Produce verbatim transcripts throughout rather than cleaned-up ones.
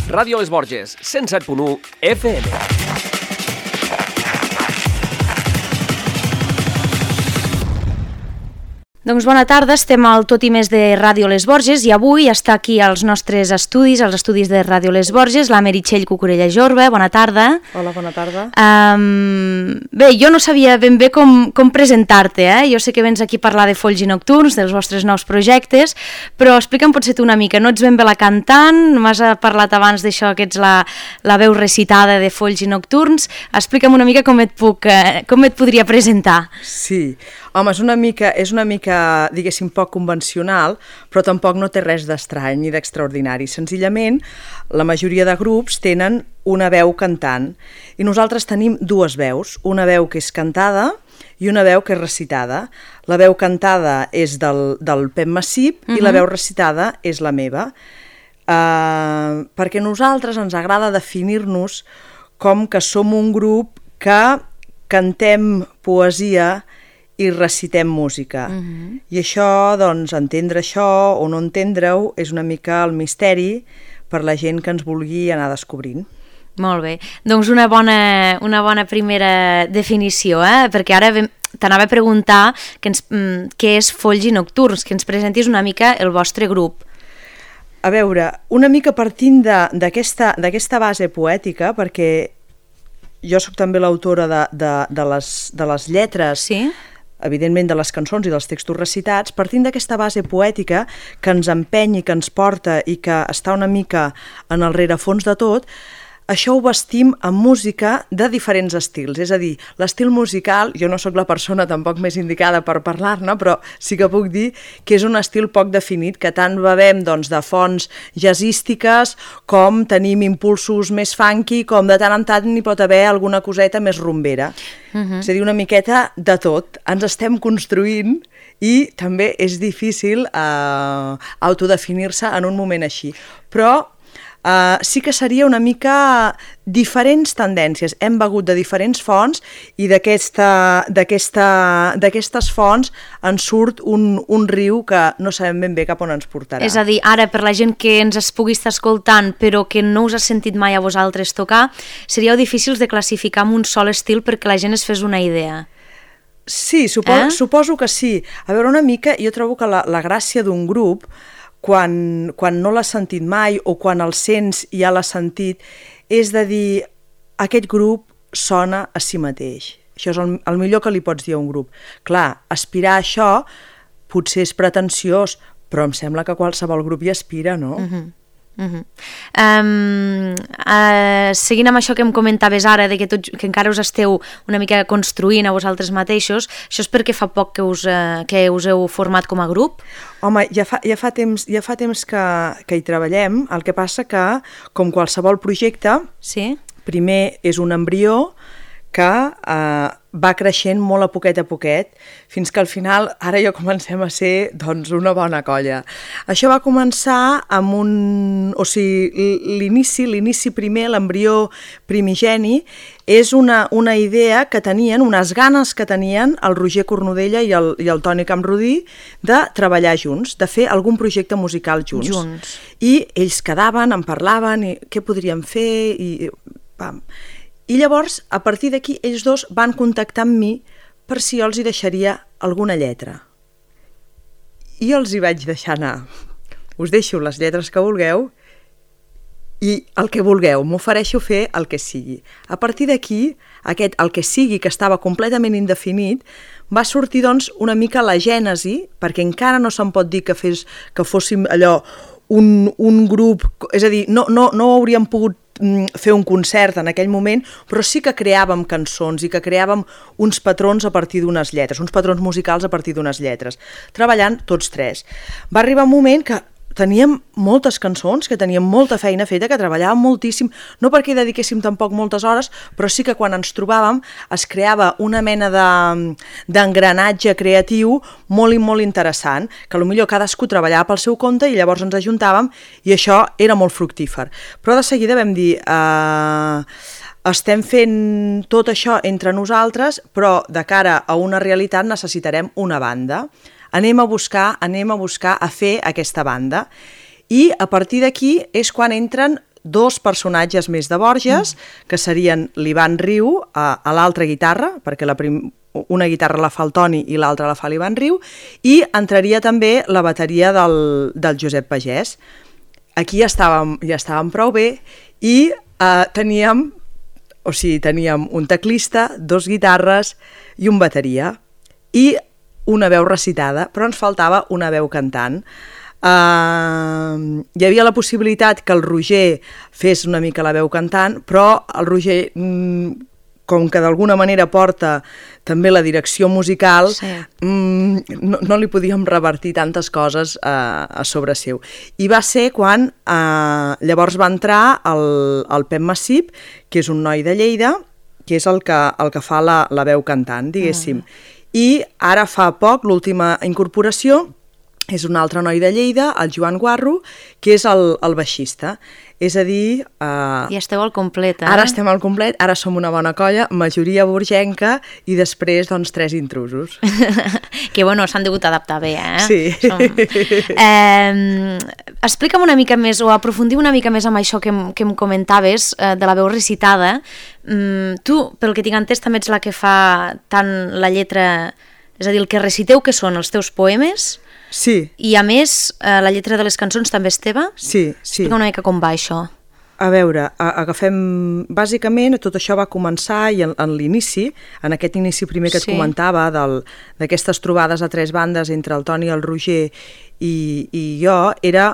Ràdio Les Borges, cent set punt u F M. Doncs bona tarda, estem al Tot i Més de Ràdio Les Borges i avui està aquí als nostres estudis, als estudis de Ràdio Les Borges, la Meritxell Cucurella Jorba. Bona tarda. Hola, bona tarda. Um, bé, jo no sabia ben bé com, com presentar-te, eh? Jo sé que vens aquí a parlar de Folls i Nocturns, dels vostres nous projectes, però explica'm potser tu una mica, no ets ben bé la cantant, m'has parlat abans d'això que ets la, la veu recitada de Folls i Nocturns, explica'm una mica com et puc, eh, com et podria presentar. Sí, home, és una mica, és una mica, diguéssim, poc convencional, però tampoc no té res d'estrany ni d'extraordinari. Senzillament, la majoria de grups tenen una veu cantant i nosaltres tenim dues veus, una veu que és cantada i una veu que és recitada. La veu cantada és del, del Pep Massip uh-huh. i la veu recitada és la meva, uh, perquè a nosaltres ens agrada definir-nos com que som un grup que cantem poesia i recitem música. Uh-huh. I això, doncs, entendre això o no entendre-ho és una mica el misteri per la gent que ens vulgui anar descobrint. Molt bé. Doncs una bona, una bona primera definició, eh? Perquè ara t'anava a preguntar que ens, què és Folls i Nocturns, que ens presentis una mica el vostre grup. A veure, una mica partint d'aquesta d'aquesta base poètica, perquè jo sóc també l'autora de, de, de, les, de les lletres, sí? Evidentment de les cançons i dels textos recitats, partint d'aquesta base poètica que ens empeny i que ens porta i que està una mica en el rerefons de tot, això ho vestim amb música de diferents estils. És a dir, l'estil musical, jo no sóc la persona tampoc més indicada per parlar-ne, però sí que puc dir que és un estil poc definit, que tant bevem doncs, de fonts jazzístiques com tenim impulsos més funky, com de tant en tant n'hi pot haver alguna coseta més rumbera. Uh-huh. És a dir, una miqueta de tot. Ens estem construint i també és difícil eh, autodefinir-se en un moment així. Però Uh, sí que seria una mica diferents tendències. Hem begut de diferents fonts i d'aquestes fonts ens surt un, un riu que no sabem ben bé cap on ens portarà. És a dir, ara per la gent que ens es pugui estar escoltant però que no us ha sentit mai a vosaltres tocar, seríeu difícils de classificar amb un sol estil perquè la gent es fes una idea. Sí, supo eh? suposo que sí. A veure, una mica, jo trobo que la, la gràcia d'un grup Quan, quan no l'has sentit mai o quan el sents i ja l'has sentit, és de dir, aquest grup sona a si mateix. Això és el, el millor que li pots dir a un grup. Clar, aspirar a això potser és pretensiós, però em sembla que qualsevol grup hi aspira, no? Uh-huh. Uh-huh. um, uh, seguint amb això que em comentaves ara de que, tot, que encara us esteu una mica construint a vosaltres mateixos, això és perquè fa poc que us, uh, que us heu format com a grup? Home, ja fa, ja fa temps, ja fa temps que, que hi treballem, el que passa que com qualsevol projecte, sí? Primer és un embrió que eh, va creixent molt a poquet a poquet, fins que al final ara ja comencem a ser doncs, una bona colla. Això va començar amb un... O sigui, l'inici, l'inici primer, l'embrió primigeni, és una, una idea que tenien, unes ganes que tenien el Roger Cornudella i el, i el Toni Camprodí de treballar junts, de fer algun projecte musical junts. Junts. I ells quedaven, en parlaven, i què podríem fer, i pam... I llavors, a partir d'aquí, ells dos van contactar amb mi per si jo els hi deixaria alguna lletra. I jo els hi vaig deixar anar. Us deixo les lletres que vulgueu i el que vulgueu, m'ofereixo fer el que sigui. A partir d'aquí, aquest el que sigui, que estava completament indefinit, va sortir doncs una mica la gènesi, perquè encara no se'n pot dir que, fes, que fóssim allò un, un grup, és a dir, no, no, no hauríem pogut fer un concert en aquell moment, però sí que creàvem cançons i que creàvem uns patrons a partir d'unes lletres, uns patrons musicals a partir d'unes lletres, treballant tots tres. Va arribar un moment que teníem moltes cançons, que teníem molta feina feta, que treballàvem moltíssim, no perquè dediquéssim tampoc moltes hores, però sí que quan ens trobàvem es creava una mena de, d'engranatge creatiu molt i molt interessant, que potser cadascú treballava pel seu compte i llavors ens ajuntàvem i això era molt fructífer. Però de seguida vam dir... Eh, estem fent tot això entre nosaltres, però de cara a una realitat necessitarem una banda. Anem a buscar, anem a buscar a fer aquesta banda. I a partir d'aquí és quan entren dos personatges més de Borges, mm. que serien l'Ivan Riu a, a l'altra guitarra, perquè la prim... una guitarra la fa el Toni i l'altra la fa l'Ivan Riu, i entraria també la bateria del, del Josep Pagès. Aquí ja estàvem, ja estàvem prou bé i eh, teníem, o sigui, teníem un teclista, dos guitarres i un bateria i una veu recitada, però ens faltava una veu cantant. Uh, hi havia la possibilitat que el Roger fes una mica la veu cantant, però el Roger... Mm, com que d'alguna manera porta també la direcció musical, sí. mmm, no, no li podíem revertir tantes coses uh, a sobre seu. I va ser quan uh, llavors va entrar el, el Pep Massip, que és un noi de Lleida, que és el que, el que fa la, la veu cantant, diguéssim. Mm. I ara fa poc, l'última incorporació, és un altre noi de Lleida, el Joan Guarro, que és el, el baixista. És a dir... Uh, I esteu al complet, eh? Ara estem al complet, ara som una bona colla, majoria borgenca i després, doncs, tres intrusos. Que, bueno, s'han degut adaptar bé, eh? Sí. Som... Eh, explica'm una mica més, o aprofundim una mica més amb això que, que em comentaves, eh, de la veu recitada. Mm, tu, pel que tinc entès, també ets la que fa tant la lletra... És a dir, el que reciteu, que són els teus poemes... Sí. I a més, eh, la lletra de les cançons també és teva? Sí, sí. Explica una mica com va això. A veure, a, agafem... Bàsicament, tot això va començar i en, en l'inici, en aquest inici primer que et sí. comentava, d'aquestes trobades a tres bandes entre el Toni, el Roger i, i jo, era...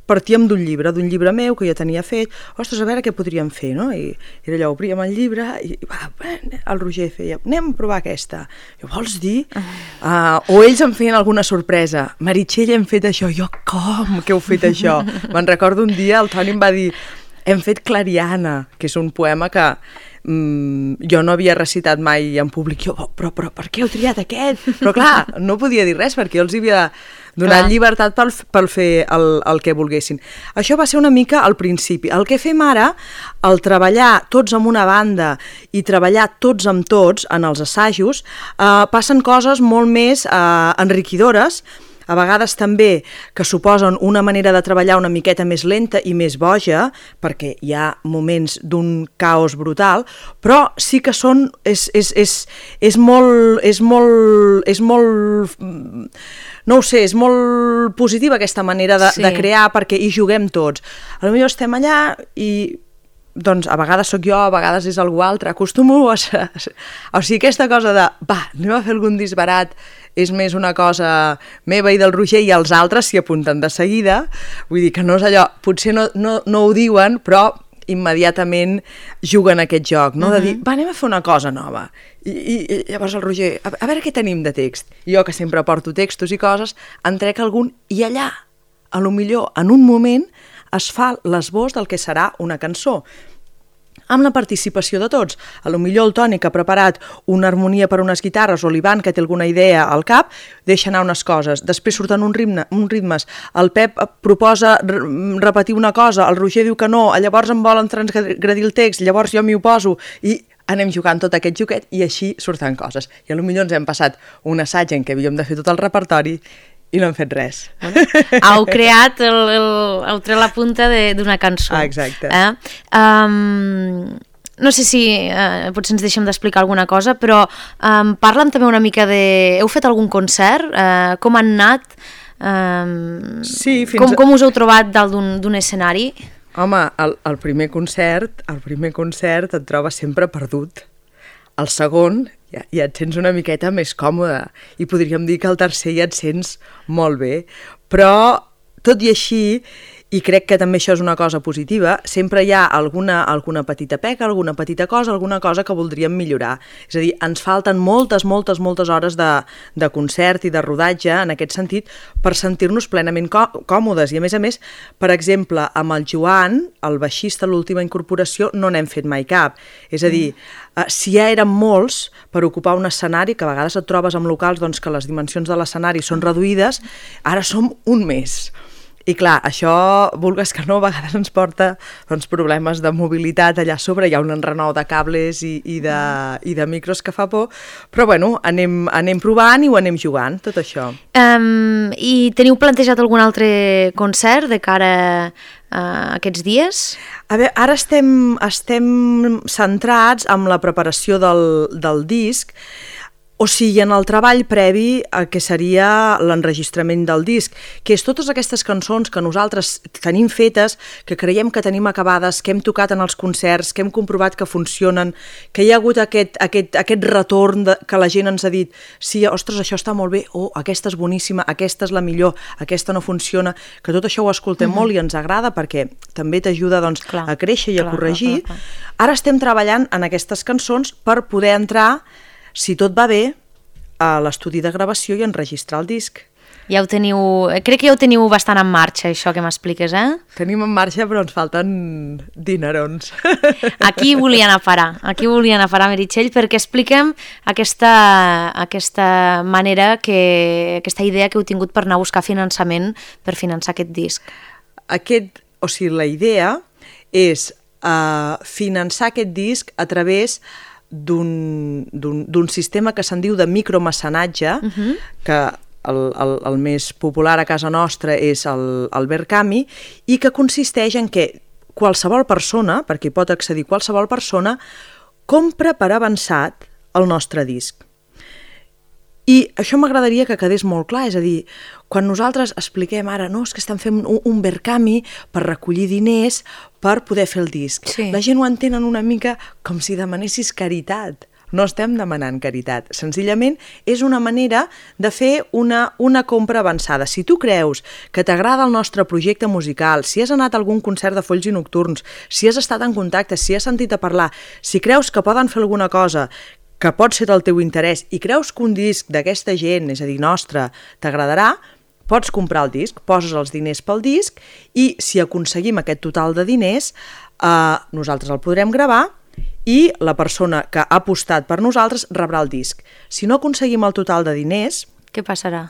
Partíem d'un llibre, d'un llibre meu que jo tenia fet, ostres, a veure què podríem fer, no? I era allò, obríem el llibre i va, el Roger feia, anem a provar aquesta. Jo, vols dir? Uh, o ells em feien alguna sorpresa. Meritxell, hem fet això. Jo, com que heu fet això? Me'n recordo un dia, el Toni em va dir, hem fet Clariana, que és un poema que mm, jo no havia recitat mai en públic. Jo, però, però per què heu triat aquest? Però clar, no podia dir res perquè jo els havia donat Clar. llibertat per, per fer el, el que volguessin. Això va ser una mica al principi. El que fem ara, el treballar tots amb una banda i treballar tots amb tots en els assajos, eh, passen coses molt més eh, enriquidores, a vegades també que suposen una manera de treballar una miqueta més lenta i més boja, perquè hi ha moments d'un caos brutal, però sí que són... és, és, és, és molt... és molt... és molt... no ho sé, és molt positiva aquesta manera de, sí. de crear, perquè hi juguem tots. A lo millor estem allà i... doncs a vegades sóc jo, a vegades és algú altre, acostumo a... O sigui, aquesta cosa de, va, anem a fer algun disbarat, és més una cosa meva i del Roger, i els altres s'hi apunten de seguida, vull dir que no és allò, potser no, no, no ho diuen, però immediatament juguen aquest joc, no? Uh-huh. De dir, va, anem a fer una cosa nova. I, i, i llavors el Roger, a, a veure què tenim de text. I jo, que sempre porto textos i coses, en trec algun, i allà, a lo millor, en un moment, es fa l'esbós del que serà una cançó, amb la participació de tots. A lo millor el Toni, que ha preparat una harmonia per unes guitarres, o l'Ivan, que té alguna idea al cap, deixa anar unes coses, després surten un ritme, uns ritmes, el Pep proposa repetir una cosa, el Roger diu que no, llavors em volen transgredir el text, llavors jo m'hi oposo, i anem jugant tot aquest joquet, i així surten coses. I a lo millor ens hem passat un assaig en què havíem de fer tot el repertori, i no hem fet res. Heu creat, el, el, heu tret la punta d'una cançó. Ah, exacte. Eh? Um, no sé si uh, potser ens deixem d'explicar alguna cosa, però um, parla'm també una mica de... Heu fet algun concert? Uh, com han anat? Um, sí, fins com, com us heu trobat dalt d'un escenari? Home, el, el primer concert, el primer concert et trobes sempre perdut. El segon ja, ja et sents una miqueta més còmode i podríem dir que el tercer ja et sents molt bé, però tot i així, i crec que també això és una cosa positiva, sempre hi ha alguna, alguna petita peca, alguna petita cosa, alguna cosa que voldríem millorar. És a dir, ens falten moltes, moltes, moltes hores de, de concert i de rodatge, en aquest sentit, per sentir-nos plenament còmodes. I a més a més, per exemple, amb el Joan, el baixista, l'última incorporació, no n'hem fet mai cap. És a dir, mm. si ja érem molts per ocupar un escenari, que a vegades et trobes amb locals doncs, que les dimensions de l'escenari són reduïdes, ara som un més. I clar, això, vulgues que no, a vegades ens porta doncs, problemes de mobilitat allà sobre, hi ha un enrenou de cables i, i, de, i de micros que fa por, però bueno, anem, anem provant i ho anem jugant, tot això. Um, I teniu plantejat algun altre concert de cara uh, aquests dies? A veure, ara estem, estem centrats en la preparació del, del disc, o sigui, en el treball previ a que seria l'enregistrament del disc, que és totes aquestes cançons que nosaltres tenim fetes, que creiem que tenim acabades, que hem tocat en els concerts, que hem comprovat que funcionen, que hi ha hagut aquest, aquest, aquest retorn de, que la gent ens ha dit sí, ostres, això està molt bé, oh, aquesta és boníssima, aquesta és la millor, aquesta no funciona, que tot això ho escoltem mm-hmm. molt i ens agrada perquè també t'ajuda doncs, clar, a créixer i clar, a corregir. Clar, clar, clar. Ara estem treballant en aquestes cançons per poder entrar, si tot va bé, a l'estudi de gravació i enregistrar el disc. Ja ho teniu... Crec que ja ho teniu bastant en marxa, això que m'expliques, eh? Tenim en marxa, però ens falten dinerons. Aquí volia anar a parar, aquí volia anar a parar, Meritxell, perquè expliquem aquesta, aquesta manera, que, aquesta idea que heu tingut per anar a buscar finançament per finançar aquest disc. Aquest, o sigui, la idea és uh, finançar aquest disc a través d'un sistema que se'n diu de micromecenatge, uh-huh. que el, el, el més popular a casa nostra és el, el Verkami, i que consisteix en que qualsevol persona, perquè hi pot accedir qualsevol persona, compra per avançat el nostre disc. I això m'agradaria que quedés molt clar, és a dir, quan nosaltres expliquem ara, no, és que estan fent un, un Verkami per recollir diners per poder fer el disc. Sí. La gent ho entenen una mica com si demanessis caritat. No estem demanant caritat. Senzillament és una manera de fer una, una compra avançada. Si tu creus que t'agrada el nostre projecte musical, si has anat a algun concert de Folls i Nocturns, si has estat en contacte, si has sentit a parlar, si creus que poden fer alguna cosa que pot ser del teu interès i creus que un disc d'aquesta gent, és a dir, nostre, t'agradarà, pots comprar el disc, poses els diners pel disc i si aconseguim aquest total de diners, eh, nosaltres el podrem gravar i la persona que ha apostat per nosaltres rebrà el disc. Si no aconseguim el total de diners... Què passarà?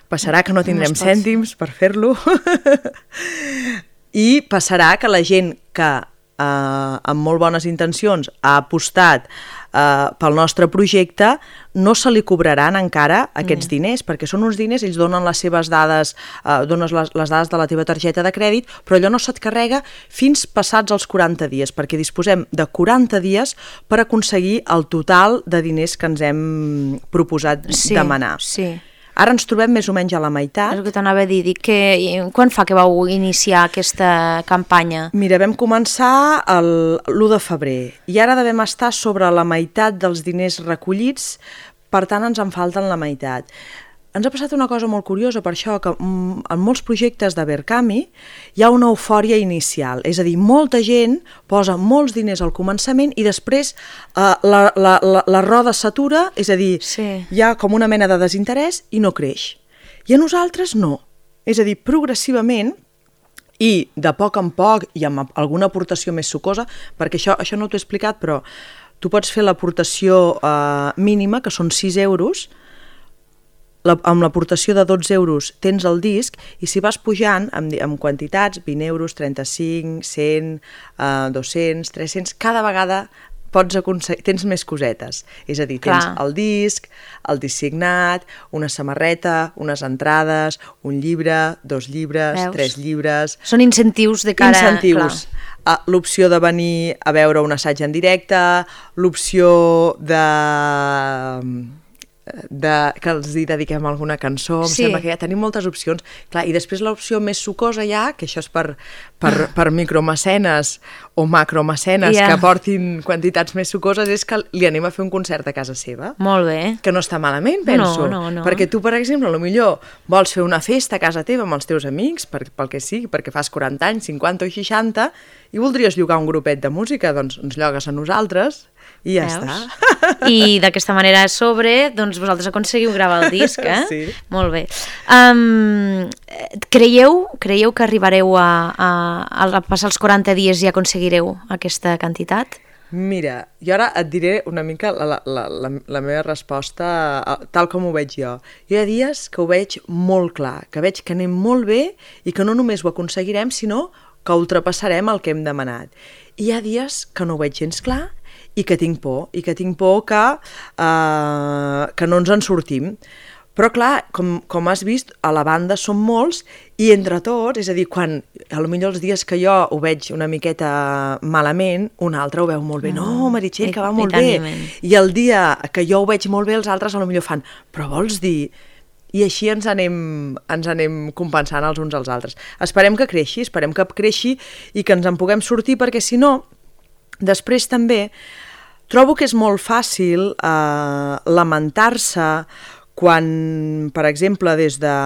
Passarà que no tindrem cèntims per fer-lo i passarà que la gent que eh, amb molt bones intencions ha apostat Uh, pel nostre projecte, no se li cobraran encara aquests mm. diners, perquè són uns diners, ells donen les seves dades, uh, dones les, les dades de la teva targeta de crèdit, però allò no se't carrega fins passats els quaranta dies, perquè disposem de quaranta dies per aconseguir el total de diners que ens hem proposat sí, demanar. Sí. Ara ens trobem més o menys a la meitat. És el que t'anava a dir. Dic que, quan fa que vau iniciar aquesta campanya? Mira, vam començar l'u de febrer i ara devem estar sobre la meitat dels diners recollits, per tant ens en falten la meitat. Ens ha passat una cosa molt curiosa per això, que en molts projectes de Verkami hi ha una eufòria inicial, és a dir, molta gent posa molts diners al començament i després eh, la, la, la, la roda s'atura, és a dir, sí. hi ha com una mena de desinterès i no creix. I a nosaltres no, és a dir, progressivament i de poc en poc i amb alguna aportació més sucosa, perquè això, això no t'ho he explicat, però tu pots fer l'aportació eh, mínima, que són sis euros, La, amb l'aportació de dotze euros tens el disc i si vas pujant amb, amb quantitats, vint euros, trenta-cinc, cent, uh, dos-cents, tres-cents, cada vegada pots aconseguir, tens més cosetes. És a dir, tens Clar. el disc, el disc signat, una samarreta, unes entrades, un llibre, dos llibres, Veus? tres llibres... Són incentius de cara... Incentius. Uh, l'opció de venir a veure un assaig en directe, l'opció de... De, que els hi dediquem alguna cançó, em sí. sembla que ja tenim moltes opcions. Clar, i després l'opció més sucosa ja, que això és per, per, per micromecenes o macromecenes yeah. que portin quantitats més sucoses, és que li anem a fer un concert a casa seva. Molt bé. Que no està malament, penso. No, no, no. Perquè tu, per exemple, potser vols fer una festa a casa teva amb els teus amics, per, pel que sigui, perquè fas quaranta anys, cinquanta o seixanta, i voldries llogar un grupet de música, doncs ens llogues a nosaltres i ja Veus? està. I d'aquesta manera a sobre, doncs vosaltres aconseguiu gravar el disc, eh? Sí. Molt bé. Um, creieu, creieu que arribareu a, a, a passar els quaranta dies i aconseguireu aquesta quantitat? Mira, jo ara et diré una mica la, la, la, la meva resposta tal com ho veig jo. Hi ha dies que ho veig molt clar, que veig que anem molt bé i que no només ho aconseguirem, sinó que ultrapassarem el que hem demanat. I hi ha dies que no ho veig gens clar i que tinc por, i que tinc por que, uh, que no ens en sortim. Però clar, com, com has vist, a la banda som molts i entre tots, és a dir, quan potser els dies que jo ho veig una miqueta malament, un altre ho veu molt bé. No, Meritxell, que va molt bé. I el dia que jo ho veig molt bé, els altres potser fan, però vols dir... I així ens anem, ens anem compensant els uns als altres. Esperem que creixi, esperem que creixi i que ens en puguem sortir, perquè si no, després també trobo que és molt fàcil eh, lamentar-se quan, per exemple, des de,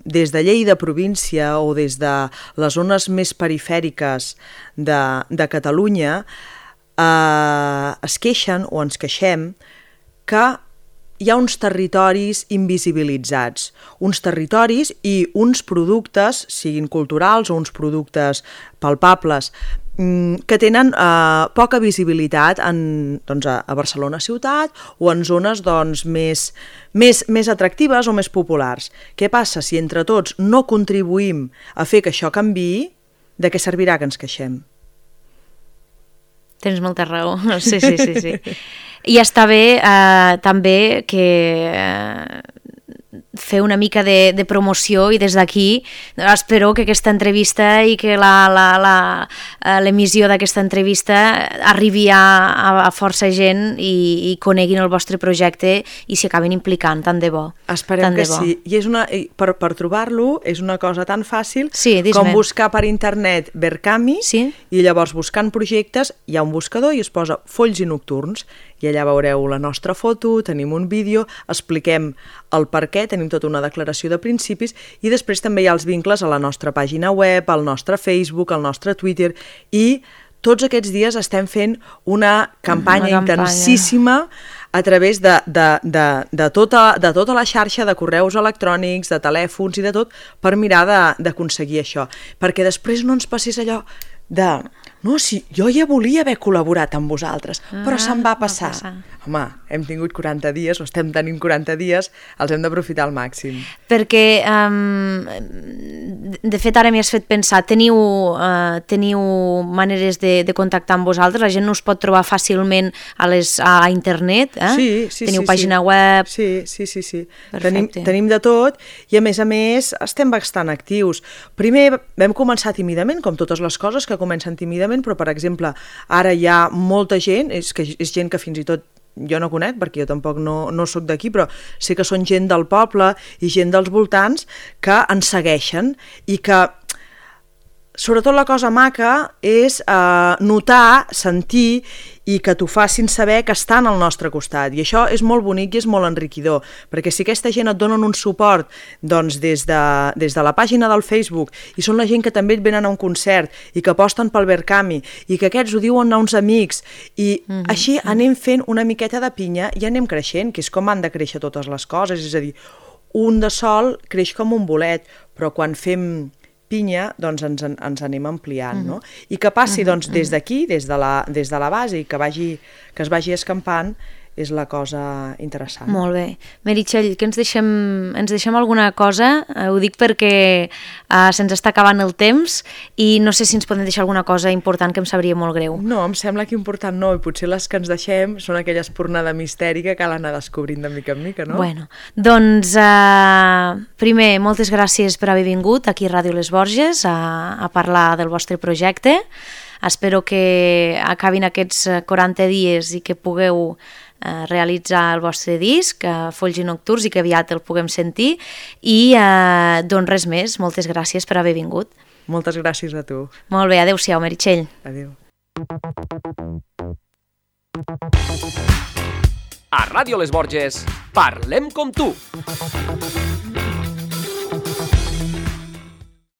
des de Lleida província o des de les zones més perifèriques de, de Catalunya eh, es queixen o ens queixem que hi ha uns territoris invisibilitzats, uns territoris i uns productes, siguin culturals o uns productes palpables, que tenen eh, poca visibilitat en, doncs, a, a Barcelona ciutat o en zones doncs, més, més, més atractives o més populars. Què passa? Si entre tots no contribuïm a fer que això canviï, de què servirà que ens queixem? Tens molta raó, sí, sí, sí, sí. I està bé eh, també que eh, fer una mica de, de promoció i des d'aquí espero que aquesta entrevista i que l'emissió d'aquesta entrevista arribi a, a força gent i, i coneguin el vostre projecte i s'hi acabin implicant, tant de bo. Esperem que sí. I és una, per, per trobar-lo és una cosa tan fàcil sí, com buscar per internet Verkami sí? I llavors buscant projectes hi ha un buscador i es posa Folls i Nocturns i allà veureu la nostra foto, tenim un vídeo, expliquem el per què, tenim tota una declaració de principis i després també hi ha els vincles a la nostra pàgina web, al nostre Facebook, al nostre Twitter i tots aquests dies estem fent una campanya, una campanya. intensíssima a través de, de, de, de, tota, de tota la xarxa de correus electrònics, de telèfons i de tot per mirar d'aconseguir això. Perquè després no ens passés allò de... No, sí, jo ja volia haver col·laborat amb vosaltres, ah, però se'm va passar. va passar. Home, hem tingut quaranta dies, o estem tenint quaranta dies, els hem d'aprofitar al màxim. Perquè, um, de fet, ara m'hi has fet pensar, teniu, uh, teniu maneres de, de contactar amb vosaltres? La gent no us pot trobar fàcilment a, les, a internet? Eh? Sí, sí, teniu sí. pàgina sí. web? Sí, sí, sí. sí. Tenim, tenim de tot i, a més a més, estem bastant actius. Primer vam començar tímidament, com totes les coses que comencen tímidament, però, per exemple, ara hi ha molta gent, és, que és gent que fins i tot jo no conec, perquè jo tampoc no, no sóc d'aquí, però sé que són gent del poble i gent dels voltants que ens segueixen i que, sobretot la cosa maca és eh, notar, sentir i que t'ho facin saber que estan al nostre costat. I això és molt bonic i és molt enriquidor, perquè si aquesta gent et donen un suport doncs, des, de, des de la pàgina del Facebook i són la gent que també et venen a un concert i que aposten pel Verkami i que aquests ho diuen a uns amics i mm-hmm. així anem fent una miqueta de pinya i anem creixent, que és com han de créixer totes les coses. És a dir, un de sol creix com un bolet, però quan fem pinya, doncs ens, ens anem ampliant, no? I que passi doncs, des d'aquí, des, de la, des de la base, i que, vagi, que es vagi escampant, és la cosa interessant. Molt bé. Meritxell, que ens deixem, ens deixem alguna cosa? Eh, ho dic perquè eh, se'ns està acabant el temps i no sé si ens podem deixar alguna cosa important que em sabria molt greu. No, em sembla que important no, i potser les que ens deixem són aquella espurna de misteri que cal anar descobrint de mica en mica, no? Bueno, doncs, eh, primer, moltes gràcies per haver vingut aquí a Ràdio Les Borges a, a parlar del vostre projecte. Espero que acabin aquests quaranta dies i que pugueu eh, realitzar el vostre disc, eh, Folls i Nocturns, i que aviat el puguem sentir. I eh, doncs res més, moltes gràcies per haver vingut. Moltes gràcies a tu. Molt bé, adeu-siau, Meritxell. Adéu. A Ràdio Les Borges, parlem com tu.